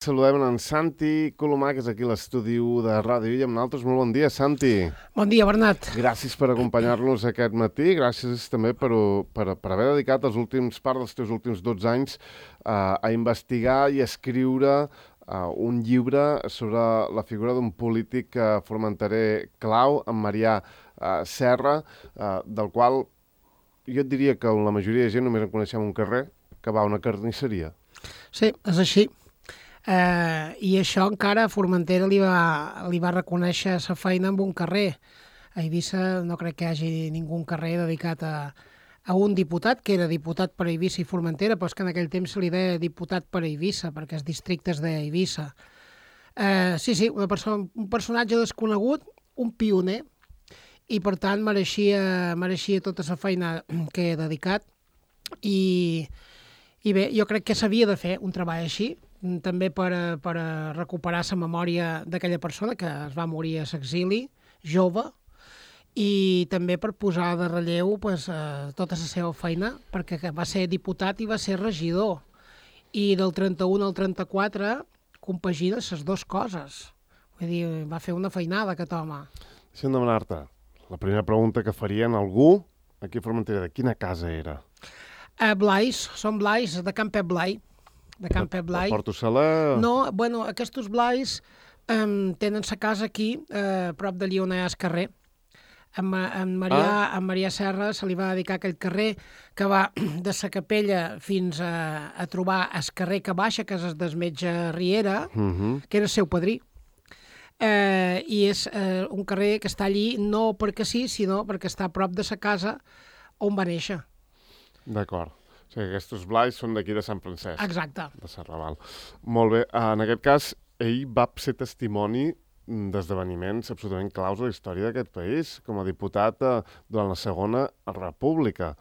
Saludem en Santi Colomà, que és aquí a l'estudi de Ràdio i amb nosaltres. Molt bon dia, Santi. Bon dia, Bernat. Gràcies per acompanyar-nos aquest matí. Gràcies també per haver dedicat part dels teus últims 12 anys a investigar i a escriure un llibre sobre la figura d'un polític formenterer clau, en Marià Serra, del qual jo et diria que la majoria de gent només en coneixem un carrer, que va a una carnisseria. Sí, és així. I això encara a Formentera li va reconèixer sa feina amb un carrer. A Eivissa no crec que hi hagi ningú carrer dedicat a un diputat, que era diputat per Eivissa i Formentera, però és que en aquell temps se li deia diputat per Eivissa, perquè els districtes d'Eivissa. Sí, un personatge desconegut, un pioner, i per tant mereixia tota la feina que he dedicat. I bé, jo crec que s'havia de fer un treball així, també per recuperar la memòria d'aquella persona que es va morir a l'exili, jove, i també per posar de relleu tota la seva feina, perquè va ser diputat i va ser regidor. I del 31 al 34 compagina les dues coses. Vull dir, va fer una feinada aquest home. Deixa'm demanar-te, la primera pregunta que farien algú aquí a Formentera, de quina casa era? Blais, són Blais, de Can Pep Blai. De Can Pep Blai. De Porto Saler? No, bueno, aquests Blais tenen sa casa aquí, prop d'allí on hi ha el carrer. En Marià Serra se li va dedicar aquell carrer que va de sa capella fins a trobar el carrer que baixa, que és el del metge Riera, que era el seu padrí. I és un carrer que està allí no perquè sí, sinó perquè està a prop de sa casa on va néixer. D'acord. O sigui, aquests Blais són d'aquí de Sant Francesc. Exacte. De Serraval. Molt bé. En aquest cas, ell va ser testimoni d'esdeveniments absolutament claus a la història d'aquest país, com a diputat durant la Segona República.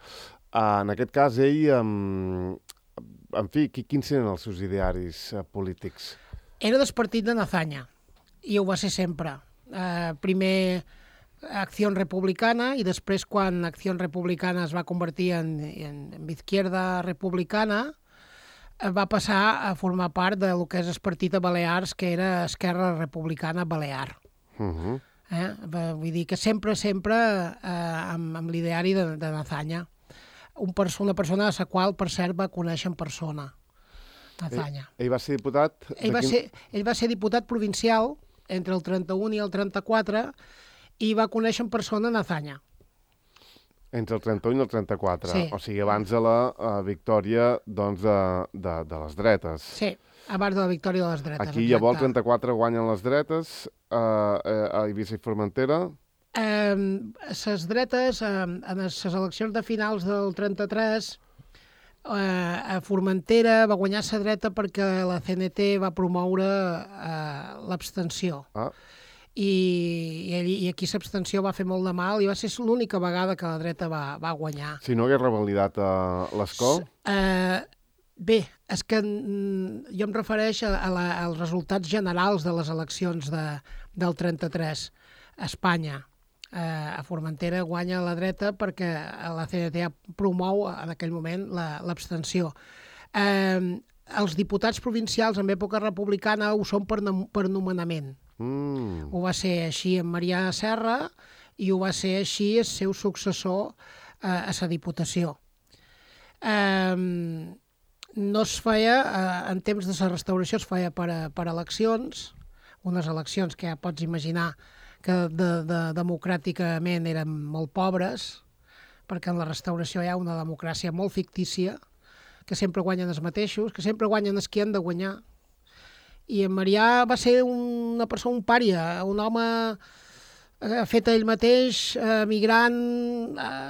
En aquest cas, ell, en fi, quins eren els seus idearis polítics? Era del partit de Nazanya, i ho va ser sempre. Primer Acció Republicana, i després, quan Acció Republicana es va convertir en Izquierda Republicana, va passar a formar part del que és el partit de Balears, que era Esquerra Republicana Balear. Vull dir que sempre amb l'ideari de Nazanya. Una persona a la qual, per cert, va conèixer en persona, Nazanya. Ell va ser diputat? Ell va ser diputat provincial entre el 31 i el 34, i va conèixer en persona Nazanya. Entre el 31 i el 34? Sí. O sigui, abans de la victòria doncs, de les dretes. Sí, abans de la victòria de les dretes. Aquí llavors el 34 guanyen les dretes a Eivissa i Formentera? Les dretes, en les eleccions de finals del 33, a Formentera va guanyar la dreta perquè la CNT va promoure l'abstenció. I aquí l'abstenció va fer molt de mal i va ser l'única vegada que la dreta va guanyar. Si no hagués revalidat l'escó? Bé, és que jo em refereix als resultats generals de les eleccions del 33 a Espanya. A Formentera guanya la dreta perquè la CNT promou en aquell moment l'abstenció. Els diputats provincials en època republicana ho són per nomenament. Ho va ser així amb Marià Serra i ho va ser així el seu successor a la Diputació. No es feia, en temps de la restauració es feia per eleccions, unes eleccions que ja pots imaginar que democràticament eren molt pobres, perquè en la restauració hi ha una democràcia molt fictícia, que sempre guanyen els mateixos, que sempre guanyen els que han de guanyar. I en Marià va ser una persona, un pària, un home fet ell mateix, migrant,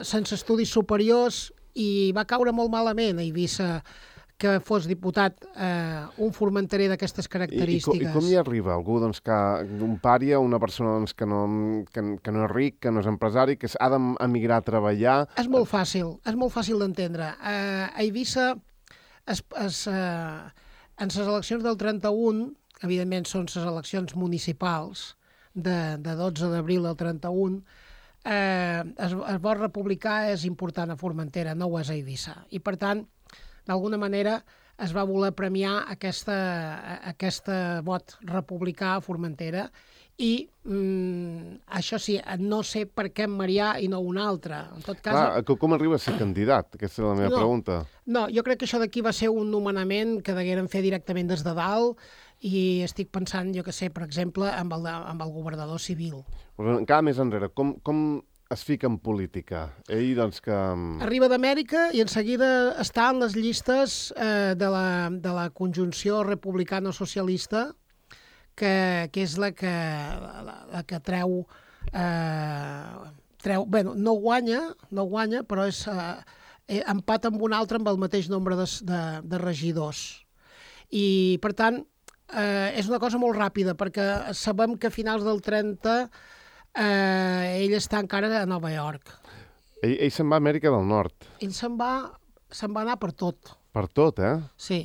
sense estudis superiors, i va caure molt malament a Eivissa que fos diputat un formenterer d'aquestes característiques. I com hi arriba algú un pària, una persona que no és ric, que no és empresari, que ha d'emigrar a treballar? És molt fàcil d'entendre. A Eivissa, en les eleccions del 31, evidentment són les eleccions municipals de 12 d'abril del 31, el vot republicà és important a Formentera, no ho és a Eivissa. I, per tant, d'alguna manera, es va voler premiar aquesta vot republicà a Formentera i això sí, no sé per què en Marià i no un altre. En tot cas... Clar, com arriba a ser candidat? Aquesta és la meva pregunta. No, jo crec que això d'aquí va ser un nomenament que degueren fer directament des de dalt i estic pensant, jo que sé, per exemple, amb el governador civil. Però encara més enrere, com es fica en política? Ell, doncs, que... Arriba d'Amèrica i en seguida està en les llistes de la conjunció republicano-socialista, que és la que treu... Bueno, no guanya, però és empat amb un altre amb el mateix nombre de regidors. I, per tant, és una cosa molt ràpida, perquè sabem que a finals del 30 ell està encara a Nova York. Ell se'n va a Amèrica del Nord. Ell se'n va anar per tot. Per tot, eh? Sí.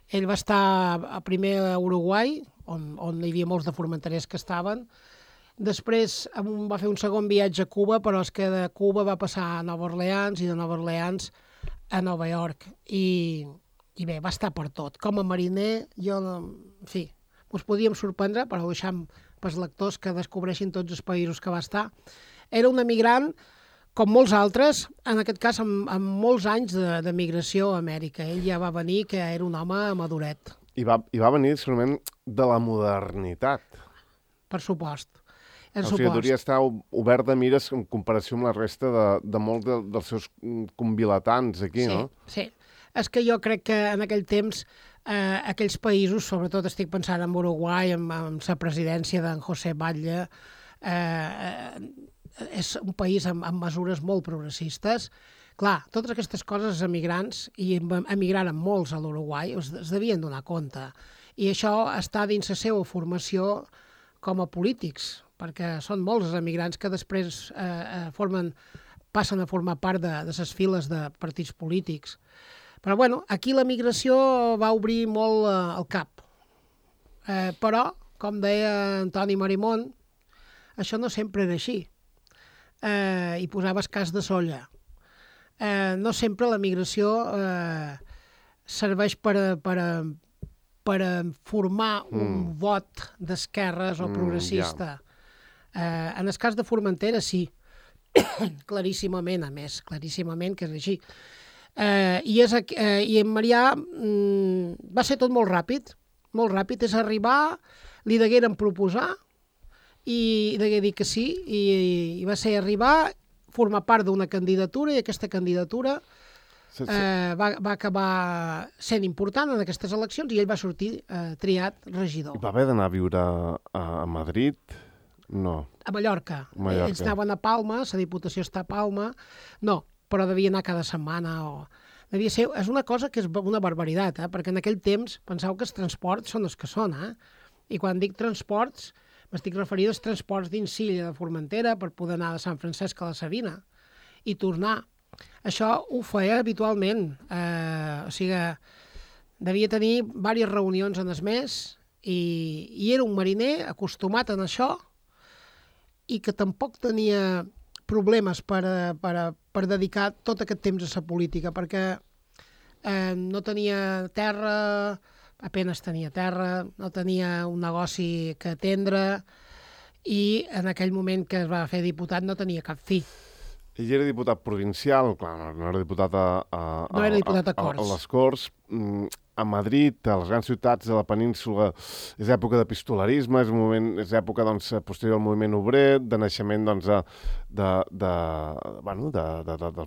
Ell va estar primer a Uruguai, on hi havia molts de formenterers que estaven. Després va fer un segon viatge a Cuba, però és que de Cuba va passar a Nova Orleans i de Nova Orleans a Nova York. I bé, va estar per tot. Com a mariner, en fi, us podíem sorprendre, però ho deixam pels lectors que descobreixin tots els països que va estar. Era un emigrant, com molts altres, en aquest cas amb molts anys de migració a Amèrica. Ell ja va venir, que era un home maduret. I va venir segurament de la modernitat. Per supost. O sigui, hauria estar obert de mires en comparació amb la resta de molts dels seus convilatans aquí, no? Sí. És que jo crec que en aquell temps aquells països, sobretot estic pensant en Uruguai, amb la presidència d'en José Batlle, és un país amb mesures molt progressistes. Clar, totes aquestes coses els emigrants, i emigraren molts a l'Uruguai, es devien donar compte. I això està dins la seva formació com a polítics, perquè són molts els emigrants que després passen a formar part de les files de partits polítics. Però, bueno, aquí la migració va obrir molt el cap. Però, com deia Antoni Marimón, això no sempre era així. Hi posaves cas de solla. No sempre la migració serveix per formar un vot d'esquerres o progressista. En el cas de Formentera, sí. Claríssimament, a més, claríssimament que és així. I en Marià va ser tot molt ràpid, és arribar, li degueren proposar i degué dir que sí, i va ser arribar, formar part d'una candidatura, i aquesta candidatura va acabar sent important en aquestes eleccions i ell va sortir triat regidor. I va haver d'anar a viure a Madrid? No. A Mallorca. Ells anaven a Palma, la Diputació està a Palma, no, però devia anar cada setmana devia ser... És una cosa que és una barbaritat, perquè en aquell temps penseu que els transports són els que són, i quan dic transports m'estic referint als transports dins Silla de Formentera per poder anar de Sant Francesc a la Sabina i tornar. Això ho feia habitualment, o sigui, devia tenir diverses reunions en el mes i era un mariner acostumat a això i que tampoc tenia problemes per dedicar tot aquest temps a la política, perquè no tenia terra, apenas tenia terra, no tenia un negoci que atendre i en aquell moment que es va fer diputat no tenia cap fill. Ell era diputat provincial, clar, no era diputat no era diputat a Corts. A les Corts. A Madrid, a les grans ciutats de la península, és època d'epistolarisme, és època posterior al moviment obrer, de naixement del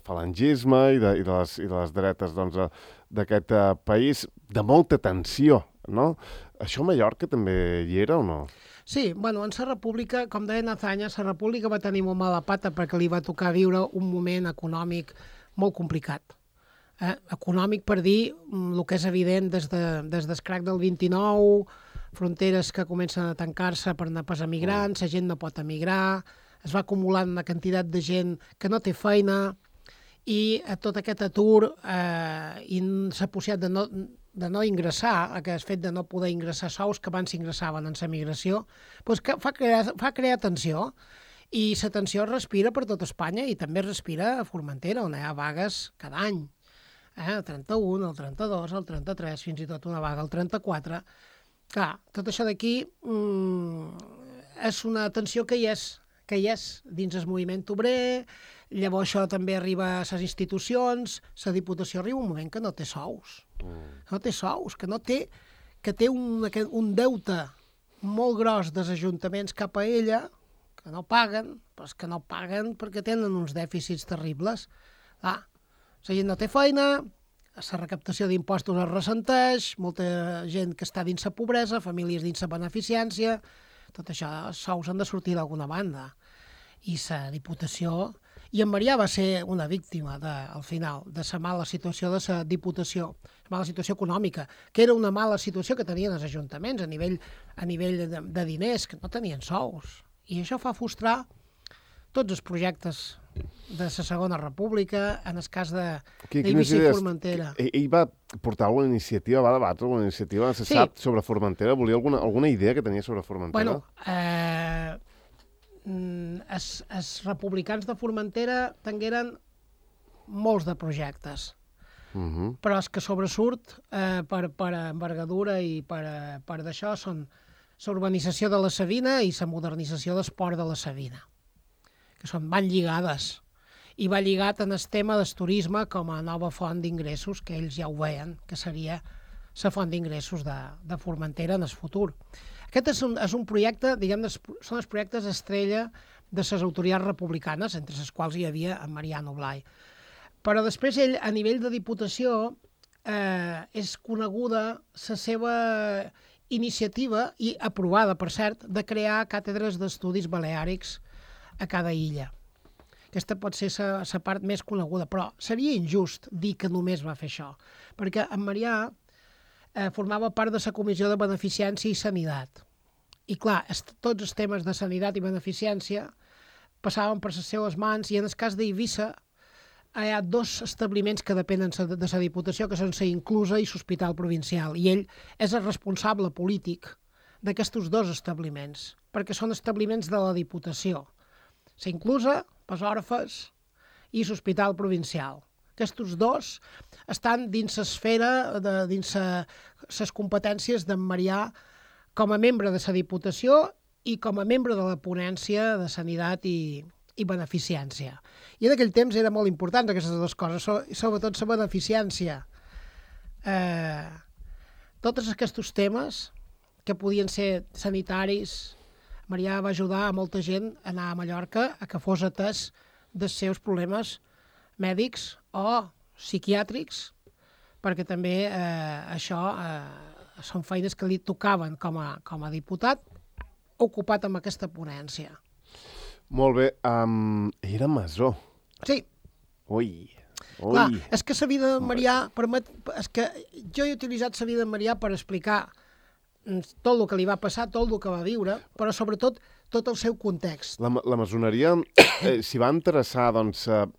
falangisme i de les dretes d'aquest país, de molta tensió, no? Això a Mallorca també hi era o no? Sí, bueno, en la república, com deia Nazanya, la república va tenir molt mala pata perquè li va tocar viure un moment econòmic molt complicat. Econòmic per dir el que és evident des del crac del 29, fronteres que comencen a tancar-se per anar pas emigrants, la gent no pot emigrar, es va acumulant una quantitat de gent que no té feina i tot aquest atur i la possibilitat de no ingressar, aquest fet de no poder ingressar sous que abans s'ingressaven en la migració, doncs fa crear tensió. I la tensió es respira per tot Espanya i també es respira a Formentera, on hi ha vagues cada any. el 31, el 32, el 33, fins i tot una vaga el 34. Clar, tot això d'aquí és una tensió que hi és dins el moviment obrer, llavors això també arriba a les institucions, la Diputació arriba un moment que no té sous, que té un deute molt gros dels ajuntaments cap a ella, que no paguen, però és que no paguen perquè tenen uns dèficits terribles. La gent no té feina, la recaptació d'impostos es ressenteix, molta gent que està dins la pobresa, famílies dins la beneficència, tot això, els sous han de sortir d'alguna banda. I la Diputació... I en Marià va ser una víctima, al final, de la mala situació de la Diputació, la mala situació econòmica, que era una mala situació que tenien els ajuntaments a nivell de diners, que no tenien sous. I això fa frustrar tots els projectes de la Segona República, en el cas d'Eivissa i Formentera. Ell va portar alguna iniciativa, va debatre alguna iniciativa, se sap, sobre Formentera? Volia alguna idea que tenia sobre Formentera? Bueno, els republicans de Formentera tingueren molts de projectes, però els que sobresurt per envergadura i per d'això són l'urbanització de la Savina i la modernització del port de la Savina, que van lligades, i va lligat en el tema del turisme com a nova font d'ingressos, que ells ja ho veien, que seria la font d'ingressos de Formentera en el futur. Aquest és un projecte, diguem, són els projectes estrella de les autoritats republicanes, entre les quals hi havia en Mariano Blay. Però després ell, a nivell de Diputació, és coneguda la seva iniciativa, i aprovada, per cert, de crear càtedres d'estudis baleàrics a cada illa. Aquesta pot ser la part més coneguda, però seria injust dir que només va fer això, perquè en Marià formava part de la Comissió de Beneficència i Sanitat. I clar, tots els temes de sanitat i beneficència passaven per les seues mans, i en el cas d'Eivissa hi ha 2 establiments que depenen de la Diputació, que són la Inclusa i l'Hospital Provincial, i ell és el responsable polític d'aquests 2 establiments, perquè són establiments de la Diputació. La Inclusa, els Orfes i l'Hospital Provincial. Aquests 2 estan dins l'esfera, dins les competències d'en Marià com a membre de la Diputació i com a membre de la ponència de Sanitat i Beneficència. I en aquell temps era molt important aquestes 2 coses, sobretot la beneficència. Tots aquests temes que podien ser sanitaris, Marià va ajudar a molta gent a anar a Mallorca a que fos atès dels seus problemes mèdics o psiquiàtrics, perquè també això són feines que li tocaven com a diputat, ocupat amb aquesta ponència. Molt bé. Era masó. Sí. Ui. Clar, és que la vida de Marià permet... És que jo he utilitzat la vida de Marià per explicar tot el que li va passar, tot el que va viure, però sobretot tot el seu context. La maçoneria s'hi va interessar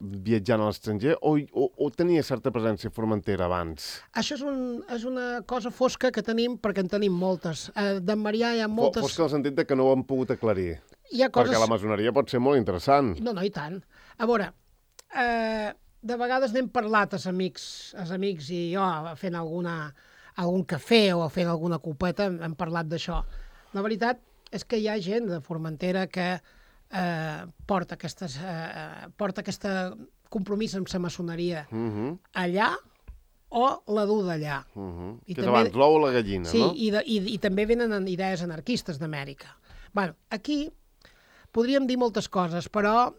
viatjant a l'estranger o tenia certa presència a Formentera abans? Això és una cosa fosca que tenim, perquè en tenim moltes. D'en Marià hi ha moltes... Fosca en el sentit que no ho han pogut aclarir. Hi ha coses... Perquè la maçoneria pot ser molt interessant. No, i tant. A veure, de vegades n'hem parlat els amics i jo fent algun cafè o fent alguna copeta hem parlat d'això. La veritat és que hi ha gent de Formentera que porta aquest compromís amb la maçoneria allà o la du d'allà. Que és abans l'ou o la gallina, no? Sí, i també venen idees anarquistes d'Amèrica. Bueno, aquí podríem dir moltes coses, però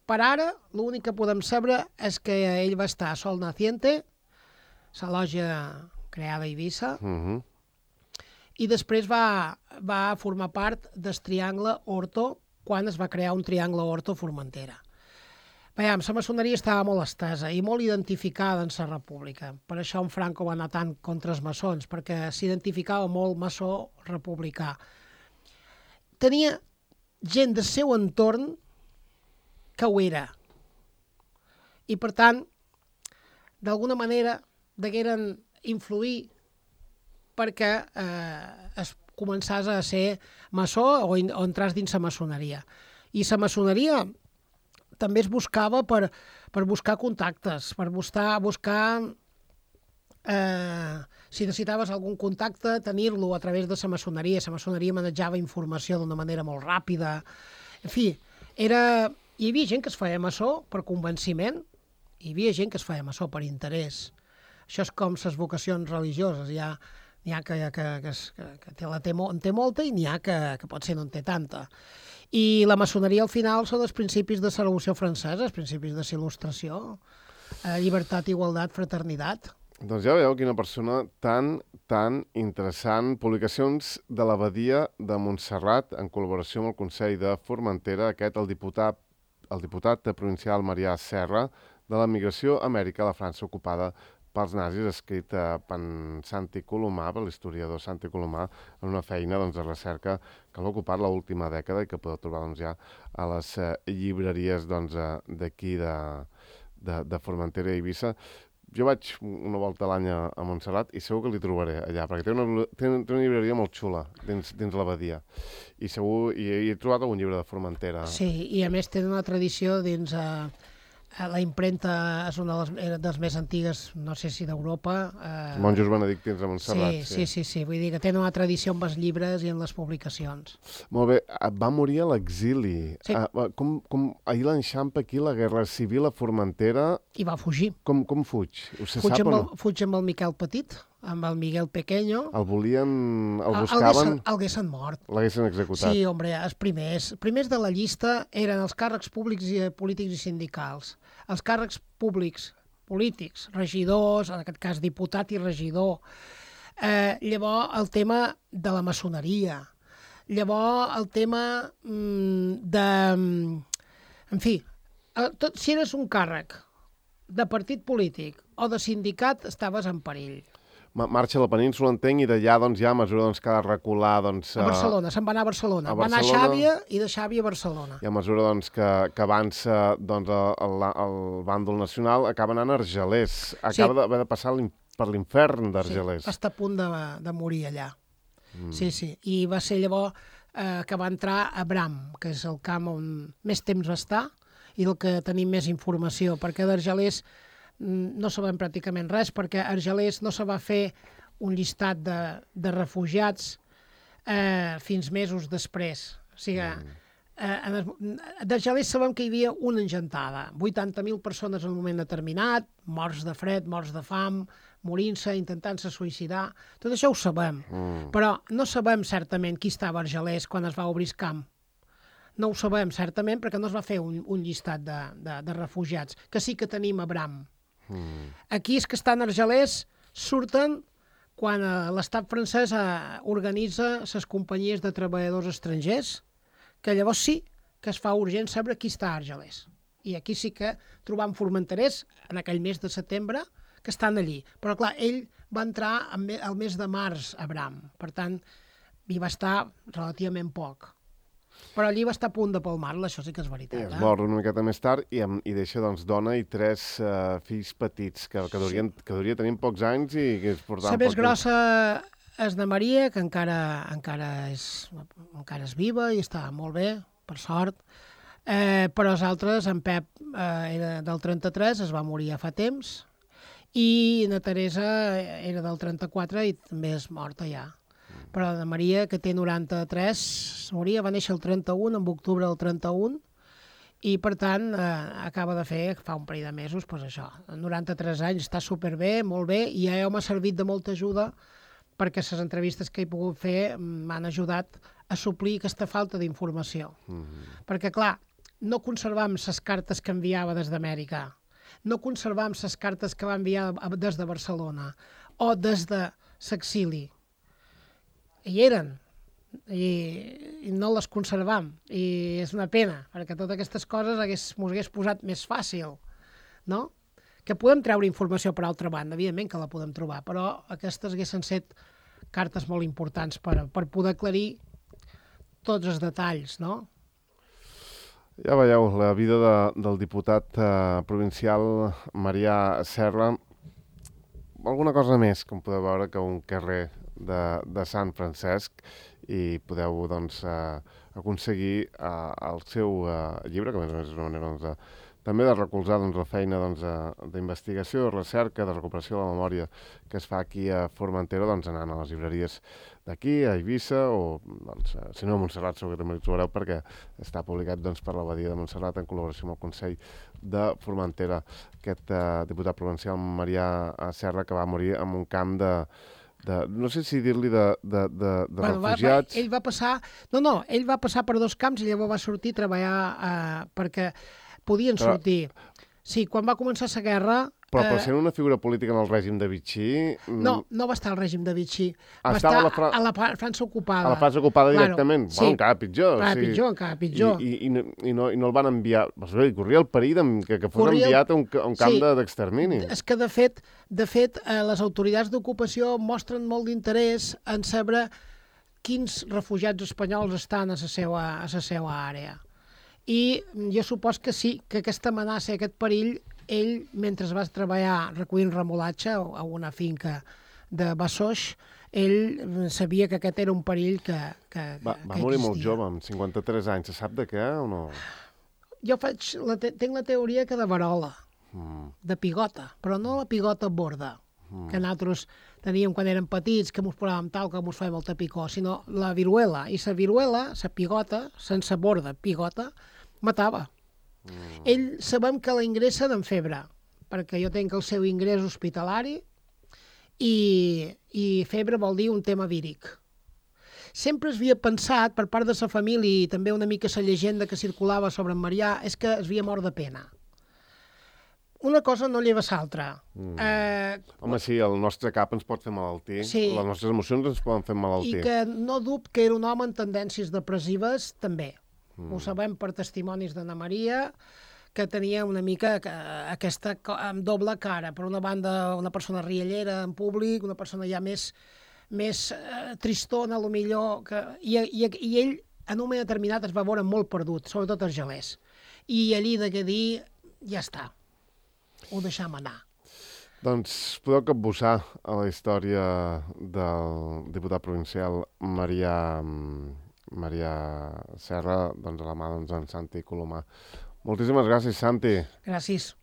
per ara l'únic que podem saber és que ell va estar a Sol Naciente, la lògia creada a Eivissa, i després va formar part del triangle Horto quan es va crear un triangle Horto-Formentera. Veiem, la maçoneria estava molt estesa i molt identificada en la República. Per això en Franco va anar tant contra els maçons, perquè s'identificava molt maçó republicà. Tenia gent del seu entorn que ho era. I, per tant, d'alguna manera degueren influir perquè es començàs a ser maçó o entràs dins la maçoneria. I la maçoneria també es buscava per buscar contactes, per buscar si necessitaves algun contacte, tenir-lo a través de la maçoneria. La maçoneria manejava informació d'una manera molt ràpida. En fi, hi havia gent que es feia maçó per convenciment, hi havia gent que es feia maçó per interès. Això és com les vocacions religioses. N'hi ha que en té molta i n'hi ha que potser no en té tanta. I la maçoneria, al final, són els principis de la Revolució Francesa, els principis de la Il·lustració, llibertat, igualtat, fraternitat. Doncs ja veieu quina persona tan interessant. Publicacions de l'Abadia de Montserrat en col·laboració amb el Consell de Formentera. Aquest, el diputat provincial Marià Serra, de la migració a Amèrica, a la França ocupada pels nazis, escrit per Santi Colomà, per l'historiador Santi Colomà, en una feina de recerca que l'ha ocupat l'última dècada i que podeu trobar ja a les llibreries d'aquí de Formentera i Eivissa. Jo vaig una volta a l'any a Montserrat i segur que l'hi trobaré allà, perquè té una llibreria molt xula dins l'Abadia. I segur he trobat algun llibre de Formentera. Sí, i a més té una tradició dins... La impremta és una de les més antigues, no sé si d'Europa. Monjos benedictins de Montserrat. Sí. Vull dir que tenen una tradició amb els llibres i en les publicacions. Molt bé. Va morir a l'exili. Sí. Ahir l'enxampa aquí la Guerra Civil a Formentera. I va fugir. Com fuig? Se sap o no? Fuig amb el Miquel Petit, amb el Miguel Pequeño. El buscaven... L'haguessin mort. L'haguessin executat. Sí, home, els primers de la llista eren els càrrecs públics i polítics i sindicals. Els càrrecs públics, polítics, regidors, en aquest cas diputat i regidor. Llavors, el tema de la maçoneria. Llavors, el tema de... En fi, si eres un càrrec de partit polític o de sindicat, estaves en perill. Marxa a la península, entenc, i d'allà ja a mesura que ha de recular... A Barcelona, se'n va anar a Barcelona. Va anar a Xàbia i de Xàbia a Barcelona. I a mesura que avança el bàndol nacional, acaba anant a Argelers. Acaba d'haver de passar per l'infern d'Argelers. Sí, va estar a punt de morir allà. Sí. I va ser llavors que va entrar a Bram, que és el camp on més temps va estar i del que tenim més informació, perquè d'Argelers no sabem pràcticament res, perquè a Argelers no se va fer un llistat de refugiats fins mesos després. O sigui, d'Argelers sabem que hi havia una engentada, 80.000 persones en un moment determinat, morts de fred, morts de fam, morint-se, intentant-se suïcidar. Tot això ho sabem, però no sabem certament qui estava a Argelers quan es va obrir el camp. No ho sabem certament perquè no es va fer un llistat de refugiats, que sí que tenim a Bram. Aquí és que estan Argelers, surten quan l'estat francès organitza les companyies de treballadors estrangers, que llavors sí que es fa urgent saber qui està a Argelers. I aquí sí que trobam formenterers en aquell mes de setembre que estan allí. Però clar, ell va entrar al mes de març a Bram, per tant, hi va estar relativament poc. Però allí va estar a punt de palmar-la, això sí que és veritat. I es mor una miqueta més tard i deixa dona i 3 fills petits, que devia tenir pocs anys i que es portaven... La més grossa és de Maria, que encara és viva i està molt bé, per sort. Però els altres, en Pep era del 33, es va morir ja fa temps, i na Teresa era del 34 i també és morta ja. Però la Maria, que té 93, va néixer el 31, en octubre del 31, i per tant acaba de fer, fa un parell de mesos, doncs això, 93 anys, està superbé, molt bé, i ja m'ha servit de molta ajuda perquè les entrevistes que he pogut fer m'han ajudat a suplir aquesta falta d'informació. Perquè, clar, no conservam les cartes que enviava des d'Amèrica, no conservam les cartes que va enviar des de Barcelona o des de l'exili. Hi eren, i no les conservam, i és una pena, perquè totes aquestes coses m'ho hagués posat més fàcil, no? Que podem treure informació per altra banda, evidentment que la podem trobar, però aquestes haguessin set cartes molt importants per poder aclarir tots els detalls, no? Ja veieu, la vida del diputat provincial Marià Serra, alguna cosa més, com podeu veure, que un carrer de Sant Francesc, i podeu doncs, aconseguir el seu llibre, que a més és una manera doncs, també de recolzar doncs, la feina d'investigació, de recerca, de recuperació de la memòria que es fa aquí a Formentera, doncs, anant a les llibreries d'aquí, a Eivissa, o doncs, si no a Montserrat, segur que també ho trobareu, perquè està publicat doncs, per l'Abadia de Montserrat en col·laboració amb el Consell de Formentera, aquest diputat provincial Marià Serra, que va morir en un camp no sé si dir-li de refugiats. Ell va passar... No, ell va passar per 2 camps i llavors va sortir a treballar perquè podien sortir. Sí, quan va començar la guerra... Però per ser una figura política en el règim de Vichy... No va estar al règim de Vichy. Va estar a la França ocupada. A la França ocupada directament? Sí. Bueno, encara pitjor. Encara pitjor. I no el van enviar... Corria el perill que fos enviat a un camp d'extermini. És que, de fet, les autoritats d'ocupació mostren molt d'interès en saber quins refugiats espanyols estan a la seva àrea. I jo supos que sí, que aquesta amenaça, aquest perill, ell, mentre va treballar recollint remolatge a una finca de Bassoix, ell sabia que aquest era un perill que Va morir molt jove, amb 53 anys. Se sap de què o no? Jo tinc la teoria que de verola, de pigota, però no la pigota borda, que nosaltres teníem quan érem petits, que mos posàvem tal, que mos fèiem el tapicó, sinó la viruela. I la viruela, la pigota, sense borda, pigota, matava. Ell sabem que la ingressen en febre, perquè jo tenc el seu ingrés hospitalari i febre vol dir un tema víric. Sempre es havia pensat, per part de la família i també una mica la llegenda que circulava sobre en Marià, és que es havia mort de pena. Una cosa no lleva l'altra. Home, sí, el nostre cap ens pot fer malaltir, les nostres emocions ens poden fer malaltir. I que no dubte que era un home amb tendències depressives, també. Ho sabem per testimonis d'Anna Maria, que tenia una mica aquesta amb doble cara. Per una banda, una persona riallera en públic, una persona ja més tristona, millor. I ell, en un moment determinat, es va veure molt perdut, sobretot els gelers. I allí de què dir, ja està. Ho deixam anar. Doncs podeu capbussar a la història del diputat provincial Marià Serra, doncs a la mà d'en Santi Colomà. Moltíssimes gràcies, Santi. Gràcies.